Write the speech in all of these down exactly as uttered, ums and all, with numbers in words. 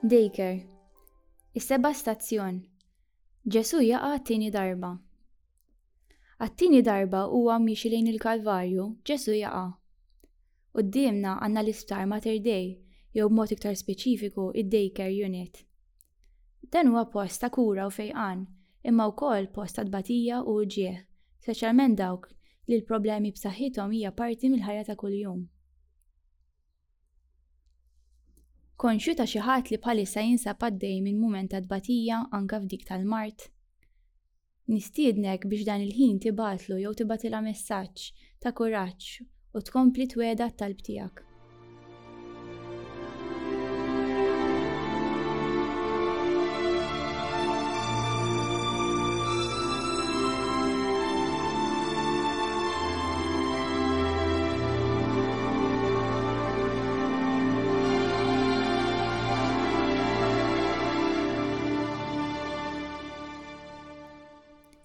Daycare. Is-seba' stazzjon. Ġesù jaqa' għat-tieni darba. Għat-tieni darba huwa miexi lejn il-Kalvarju, Ġesù jaqa'. Quddiemna għandna l-Isptar Mater Dei, jew b'mod iktar speċifiku id-Daycare Unit. Dan huwa post ta' kura u fejqan, imma wkoll post ta' tbatija u uġigħ, speċjalment dawk li l-problemi b'saħħithom hija parti mill-ħajja ta' kuljum. Konxju ta' xi ħadd li bħalissa jinsab għaddej minn mument ta' tbatija anke f'dik tal-mard? Nistiednek biex dan il-ħin tibgħatlu jew tibgħatilha messaġġ ta' kuraġġ u tkompli twegħda t-talb tiegħek.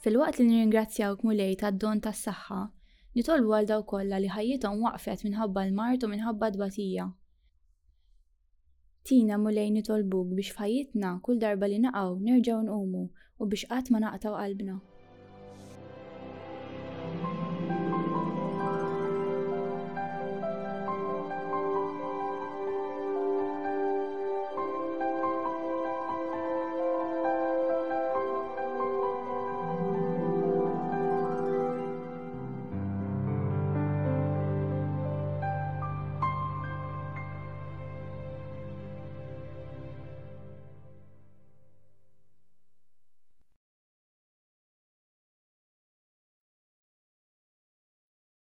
Filwaqt li nirringrazzjawk Mulej tad-don tas-saħħa, nitolbu għal dawk kollha li ħajjithom waqfet minħabba l-mard u minħabba t-tbatija. Tina Mulej nitolbuk biex f'ħajjitna kull darba li naqgħu nerġgħu nqumu u biex qatt ma naqtgħu qalbna.